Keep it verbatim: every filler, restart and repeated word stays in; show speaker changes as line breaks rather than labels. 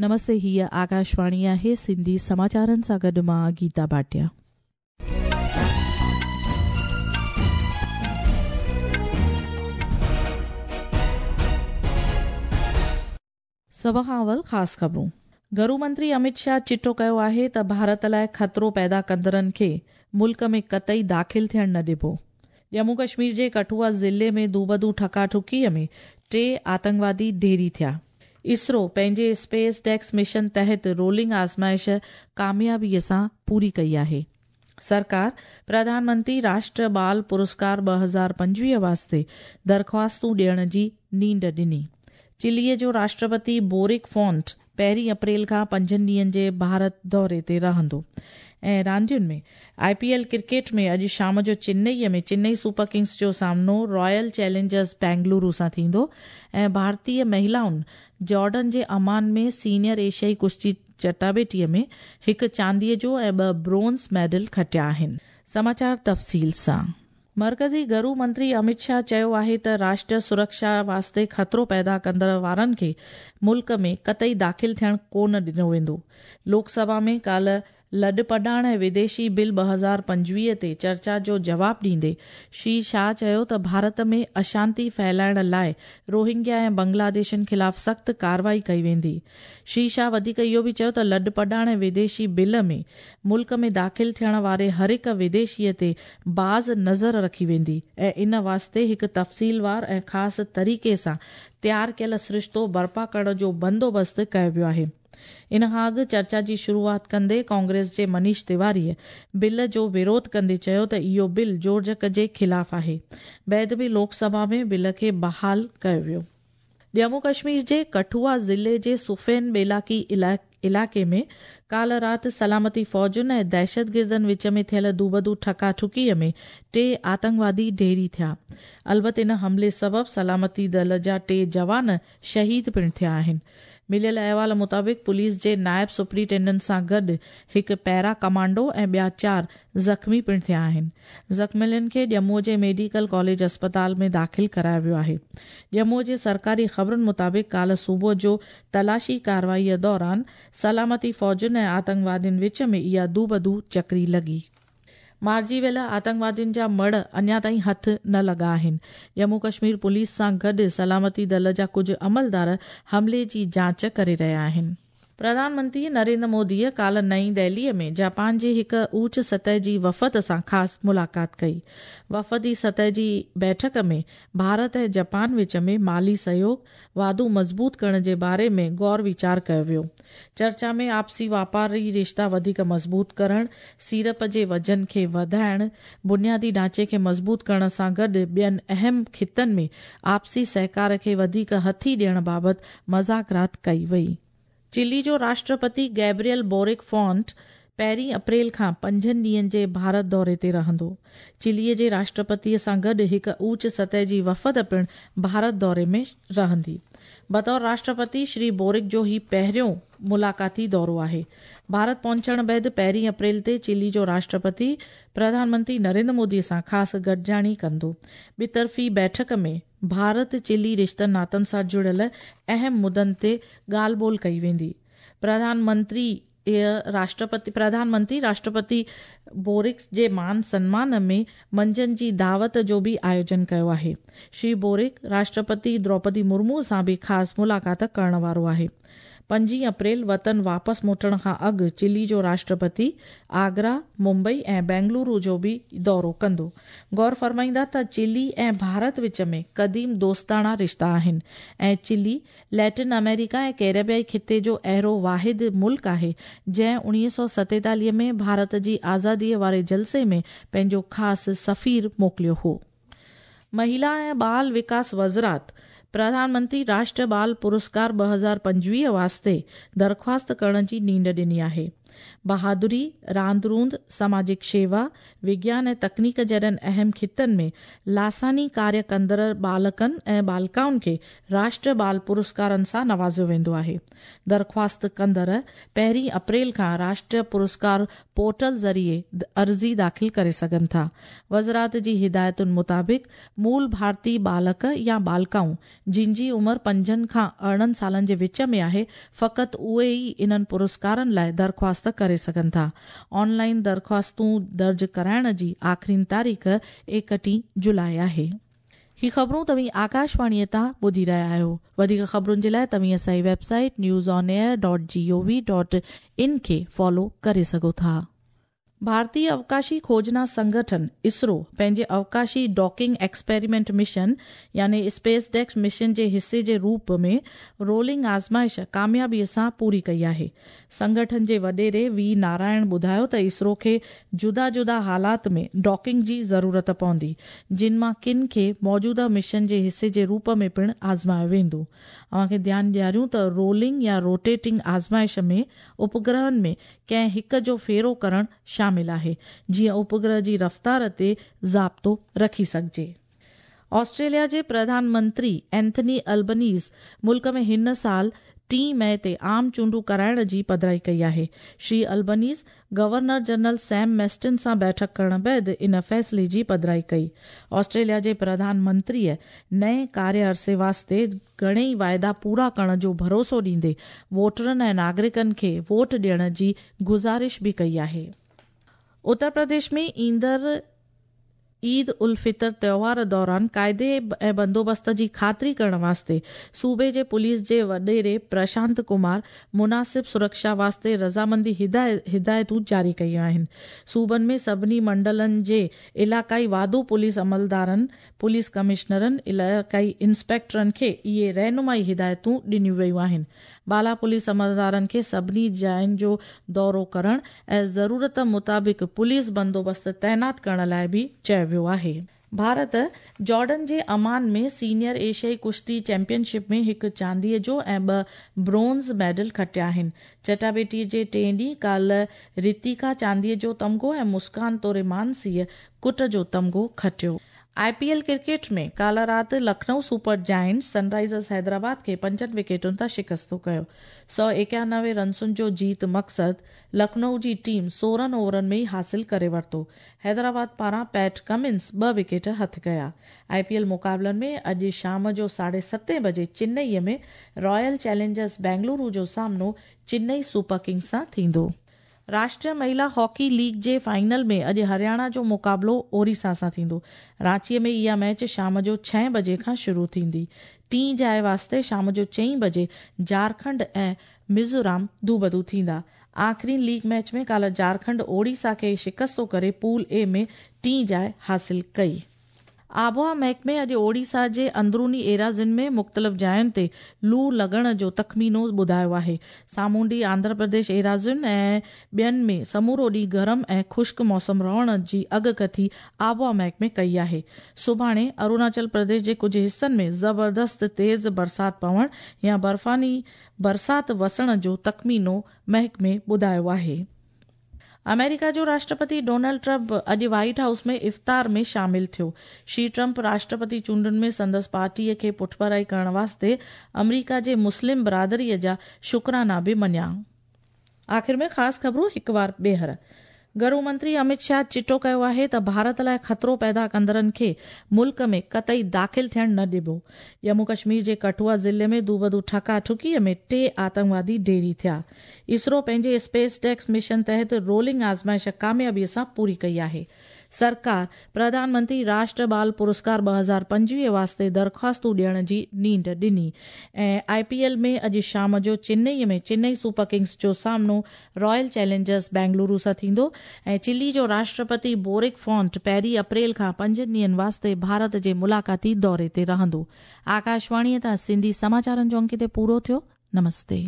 नमस्ते, हीअ आकाशवाणी आहे। सिंधी समाचारनि सां गॾु मां गीता भाटिया। सभ खां अवल ख़ासि ख़बरूं। घरू मंत्री अमित शाह चिटो कयो आहे त भारत लाइ ख़तरो पैदा कंदड़नि खे मुल्क में कतई दाख़िल थियण न ॾिबो। जम्मू कश्मीर जे कठुआ ज़िले में दूबदू ठकाठुकीअ में टे आतंकवादी ढेरी थिया। इसरो पंहिंजे स्पेस डेक्स मिशन तहत रोलिंग आज़माइश कामयाबीअ सां पूरी कई आहे। सरकार प्रधानमंत्री राष्ट्र बाल पुरस्कार ॿ हज़ार पंजवीह वास्ते दरख़्वास्तूं ॾियण जी नींड ॾिनी। चिलीअ जो राष्ट्रपति बोरिक फॉन्ट पहिरीं अप्रैल खां पंजनि ॾींहंनि जे भारत दौरे ते रहंदो। ऐं रांदियुनि में I P L cricket में अॼु शाम जो चेन्नईअ में चेन्नई सुपर किंग्स जो सामनो रॉयल चैलेंजर्स बेंगलुरु सां थींदो। ऐं भारतीय महिलाउनि जॉर्डन जे अमान में सीनियर एशियाई कुश्ती चटाबेटीअ में हिकु चांदीअ जो ऐं ॿ ब्रोंज़ मेडल खटिया आहिनि। समाचार तफ़सील सां। मरकज़ी घरू मंत्री अमित शाह चयो आहे त राष्ट्र सुरक्षा वास्ते ख़तरो पैदा कंदड़ वारनि खे मुल्क में कतई दाख़िल थियण कोन ॾिनो वेंदो। लोकसभा में काल्ह लॾपॾाण ऐं विदेशी बिल ॿ हज़ार पंजवीह ते चर्चा जो जवाब ॾींदे श्री शाह चयो त भारत में अशांति फैलाइण लाइ रोहिंग्या ऐं बांग्लादेशियुनि ख़िलाफ़ सख़्तु कार्रवाई कई वेंदी। श्री शाह वधीक इहो बि चयो त लॾपॾाण ऐं विदेशी बिल में मुल्क में दाख़िल थियण वारे हर हिकु विदेशीअ ते बाज़ नज़र रखी वेंदी ऐं इन वास्ते हिकु तफ़सीलवार ऐं ख़ासि तरीक़े सां तयारु कयल सरिश्तो बर्पा करण जो बंदोबस्तु कयो वियो आहे। इन खां अॻु चर्चा जी शुरूआत कंदे कांग्रेस जे मनीष तिवारीअ बिल जो विरोध कंदे चयो त इहो बिल जोड़जक जे ख़िलाफ़ आहे। बैद बि लोकसभा में बिल खे बहाल कयो वियो। जम्मू कश्मीर जे कठुआ ज़िले जे सुफेन बेलाकी इलाइक़े में काल्ह राति सलामती फ़ौजुनि ऐं दहशतगिर्दनि विच में थियल दूबदू ठकाठुकीअ में टे आतंकवादी ढेरी थिया। अलबत इन हमले सबबु सलामती दल जा टे जवान शहीद पिणु थिया आहिनि। मिलियल अहवाल मुताबिक़ पुलिस जे नायब सुपरिटेंडेंट सां गॾु हिकु पैरा कमांडो ऐं ॿिया चारि ज़ख़्मी पिणु थिया आहिनि। ज़ख़्मियुनि खे ॼम्मूअ जे मेडिकल कॉलेज अस्पताल में दाख़िल करायो वियो आहे। ॼम्मूअ जे सरकारी ख़बरुनि मुताबिक़ काल्ह सुबुह जो तलाशी कार्रवाईअ दौरान सलामती फ़ौजुनि ऐं आतंकवादियुनि विच में इहा दूबदू चकरी लॻी। मारिजी वियल आतंकवादियुनि जा मड़ अञा ताईं हथु न लॻा आहिनि। जम्मू कश्मीर पुलिस सां गॾु सलामती दल जा कुझु अमलदार हमले जी जांच करे रहिया आहिनि। प्रधानमंत्री नरेंद्र मोदीअ काल्ह नई दिल्लीअ में जापान जे हिकु ऊच सतह जी वफ़द सां ख़ासि मुलाक़ात कई। वफ़दी सतह जी बैठक में भारत ऐं जापान विच में माली सहयोग वाधू मज़बूत करण जे बारे में गौर वीचार कयो वियो। चर्चा में आपसी वापारी रिश्ता वधीक मज़बूत करण, सीरप जे वज़न खे वधाइण, बुनियादी ढांचे खे मज़बूत करण सां गॾु ॿियनि अहम ख़ितनि में आपसी सहकार खे वधीक हथी ॾियण बाबति मज़ाकरात कई वई। चिली जो राष्ट्रपति गैब्रियल बोरिक फॉन्ट पहिरीं अप्रैल खां पंजनि ॾींहंनि जे भारत दौरे ते रहंदो। चिलीअ जे राष्ट्रपतीअ सां गॾु हिकु ऊच सतह जी वफ़द पिणु भारत दौरे में रहंदी। बतौर राष्ट्रपति श्री बोरिक जो ही पहिरियों मुलाक़ाती दौरो आहे। भारत पहुचण बाद पहिरीं अप्रैल ते चिली जो राष्ट्रपति प्रधानमंत्री नरेंद्र मोदी सां ख़ासि गॾिजाणी कंदो। ॿितरफ़ी बैठक में भारत चिली रिश्तनि नातनि सां जुड़ियल अहम मुदनि ते ॻाल्हि ॿोल कई वेंदी। प्रधानमंत्री राष्ट्रपति प्रधानमंत्री राष्ट्रपति बोरिक जे मान सम्मान में मंझंदि जी दावत जो बि आयोजन कयो आहे। श्री बोरिक राष्ट्रपति द्रौपदी मुर्मू सां बि ख़ासि मुलाक़ात करण वारो आहे। पंजीह अप्रैल वतन वापसि मोटण खां अॻु चिली जो राष्ट्रपति आगरा, मुंबई ऐं बेंगलुरु जो बि दौरो कंदो। गौर फरमाईंदा त चिली ऐं भारत विच में क़दीम दोस्ताणा रिश्ता आहिनि ऐं चिली लैटिन अमेरिका ऐं कैरेबियाई ख़िते जो अहिड़ो वाहिद मुल्क आहे जंहिं उणिवीह सौ सतेतालीह में भारत जी आज़ादीअ वारे जलसे में पंहिंजो ख़ासि सफ़ीर मोकिलियो हो। महिला ऐं बाल विकास वज़ारत प्रधानमंत्री राष्ट्र बाल पुरस्कार ॿ हज़ार पंजवीह वास्ते दरख़्वास्त करण जी नींड ॾिनी आहे। बहादुरी, रांदि रूंद, समाजिक शेवा, विज्ञान ऐं तकनीक जहिड़नि अहम ख़ितनि में लासानी कार्य कंदड़ बालकनि ऐं बालिकाउनि खे राष्ट्रीय बाल पुरस्कारनि सां नवाज़ियो वेंदो आहे। दरख़्वास्त कंदड़ पहिरीं अप्रैल खां राष्ट्रीय पुरस्कार पोर्टल ज़रिए अर्ज़ी दाख़िल करे सघनि था। वज़ारत जी हिदायतुनि मुताबिक़ मूल भारतीय बालक या बालिकाऊं जिन जी उमिरि पंजनि खां अरिड़हं सालनि जे विच में आहे, फ़क़ति उहे ई इन्हनि पुरस्कारनि लाइ दरख़्वास्त करे सघनि था। ऑनलाइन दरख़्वास्तूं दर्ज कराइण जी आख़िरी तारीख़ एकटीह जुलाई आहे। ही ख़बरूं तव्हीं आकाशवाणीअ तां ॿुधी रहिया आहियो। वधीक ख़बरुनि जे लाइ तव्हीं असांजी website news on air dot G O V dot in खे फॉलो करे सघो था। भारतीय अवकाशी खोजना संगठन इसरो पंहिंजे अवकाशी डॉकिंग एक्सपेरिमेंट मिशन यानी स्पेस डेक्स मिशन जे हिस्से जे रूप में रोलिंग आज़माइश कामयाबीअ सां पूरी कई आहे। संगठन जे वॾेरे we Narayan ॿुधायो त इसरो खे जुदा जुदा हालात में डॉकिंग जी ज़रूरत पवंदी, जिन मां किन खे मौजूदा मिशन जे हिस्से जे रूप में पिणु आज़मायो वेंदो। अव्हांखे ध्यानु ॾियारियूं त रोलिंग या रोटेटिंग आज़माइश में उपग्रहनि में कंहिं हिकु जो फेरो करणु शामिल आहे, जीअं उपग्रह जी रफ़्तार ते ज़ाब्तो रखी सघिजे। ऑस्ट्रेलिया जे प्रधानमंत्री एंथनी अल्बनीज़ मुल्क में हिन साल टी मई ते आम चूंडूं कराइण जी पधराई कई आहे। Shri Albanese governor general Sam Mostyn सां बैठक करण बाद इन फ़ैसिले जी पधराई कई। ऑस्ट्रेलिया जे प्रधानमंत्रीअ नए कार्य अरसे वास्ते घणेई वाइदा पूरा करण जो भरोसो ॾींदे वोटरनि ऐं नागरिकनि खे वोट ॾियण जी गुज़ारिश बि कई आहे। उत्तर प्रदेश में ईंदड़ ईद उल फितर त्योहार दौरान कायदे ऐं बंदोबस्त जी ख़ातिरी करण वास्ते सूबे जे पुलिस जे वॾेरे प्रशांत कुमार मुनासिब सुरक्षा वास्ते रज़ामंदी हिदायतूं जारी कयूं आहिनि। सूबनि में सभिनी मंडलनि जे इलाइक़ाई वाधू पुलिस अमलदारनि, पुलिस कमिश्नरनि, इलाइक़ाई इंस्पेक्टरनि खे इहे रहनुमाई हिदायतूं ॾिनियूं वयूं आहिनि। बाला पुलिस अमलदारनि खे सभिनी जायुनि जो दौरो करण ऐं ज़रूरत मुताबिक़ पुलिस बंदोबस्त तैनात करण लाइ बि चयो वियो आहे। भारत जॉर्डन जे अमान में सीनियर एशियाई कुश्ती चैंपियनशिप में हिकु चांदीअ जो ऐं ॿ ब्रोंज़ मेडल खटिया आहिनि। चटाबेटी जे टे ॾींहुं काल्ह रितिका चांदीअ जो तमगो ऐं मुस्कान तोरे मानसीअ कुट जो तमगो खटियो। I P L cricket में काल्ह राति Lucknow super giants Sunrisers Hyderabad खे पंजनि विकेटुनि तां शिकस्तो कयो। सौ एकानवे रनसुनि जो जीत मक़सदु लखनऊ जी टीम सोरहं ओवरनि में ई हासिल करे वरितो। हैदराबाद पारां पैट कमिंस ॿ विकेट हथु कया। I P L मुक़ाबलनि में अॼु शाम जो साढे सतें बजे चेन्नईअ में रॉयल चैलेंजर्स बेंगलुरु जो सामनो चेन्नई सुपर किंग्स सां थींदो। राष्ट्रीय महिला हॉकी लीग जे फाइनल में अॼु हरियाणा जो मुक़ाबिलो ओडिशा सां थींदो। रांचीअ में इहा मैच शाम जो छह बजे खां शुरू थींदी। टीं जाइ वास्ते शाम जो चईं बजे झारखंड ऐं मिज़ोरम दूबदू थींदा। आख़िरी लीग मैच में काल्ह झारखंड ओडिशा खे शिकस्तो करे पूल ए में टीं जाइ हासिल कई। आबहावा महकमे अॼु ओडिशा जे अंदरूनी एराज़ियुनि में मुख़्तलिफ़ जायुनि ते लू लॻण जो तख़मीनो ॿुधायो आहे। सामुंडी आंध्र प्रदेश एराज़ियुनि ऐं ॿियनि में समूरो ॾींहुं गरम ऐं ख़ुश्क मौसम रहण जी अॻकथी आबहावा महकमे कई आहे। सुभाणे अरुणाचल प्रदेश जे कुझु हिसनि में ज़बरदस्त तेज़ बरसाति पवण या बर्फ़ानी बरसाति वसण जो तख़मीनो महकमे ॿुधायो आहे। अमेरिका जो राष्ट्रपति डोनाल्ड ट्रंप अॼु व्हाइट हाउस में इफ़्तार में शामिल थियो। श्री ट्रंप राष्ट्रपति चूंडुनि में संदसि पार्टीअ खे पुठभराई करण वास्ते अमेरिका जे मुस्लिम बरादरीअ जा शुक्राना बि मञिया। आख़िर में ख़ासि ख़बरूं हिकु वार ॿीहर। घरू मंत्री अमित शाह चिटो कयो आहे त भारत लाइ ख़तरो पैदा कंदड़नि खे मुल्क में कतई दाख़िल थियण न ॾिबो। जम्मू कश्मीर जे कठुआ ज़िले में दूबदू ठका ठुकीअ में टे आतंकवादी ढेरी थिया। इसरो पंहिंजे स्पेस डेक्स मिशन तहत रोलिंग आज़माइश कामयाबीअ सां पूरी कई आहे। सरकार प्रधानमंत्री राष्ट्र बाल पुरस्कार ॿ हज़ार पंजवीह वास्ते दरख़्वास्तूं ॾियण जी नींड ॾिनी। ऐं I P L में अॼु शाम जो चेन्नईअ में चेन्नई सुपर किंग्स जो सामनो रॉयल चैलेंजर्स बेंगलुरु सां थींदो। ऐं चिली जो राष्ट्रपति बोरिक फॉन्ट पहिरीं अप्रैल खां पंजनि ॾींहंनि वास्ते भारत जे मुलाक़ाती दौरे ते रहंदो। आकाशवाणीअ तां सिंधी समाचारनि जो अंक हिते पूरो थियो। नमस्ते।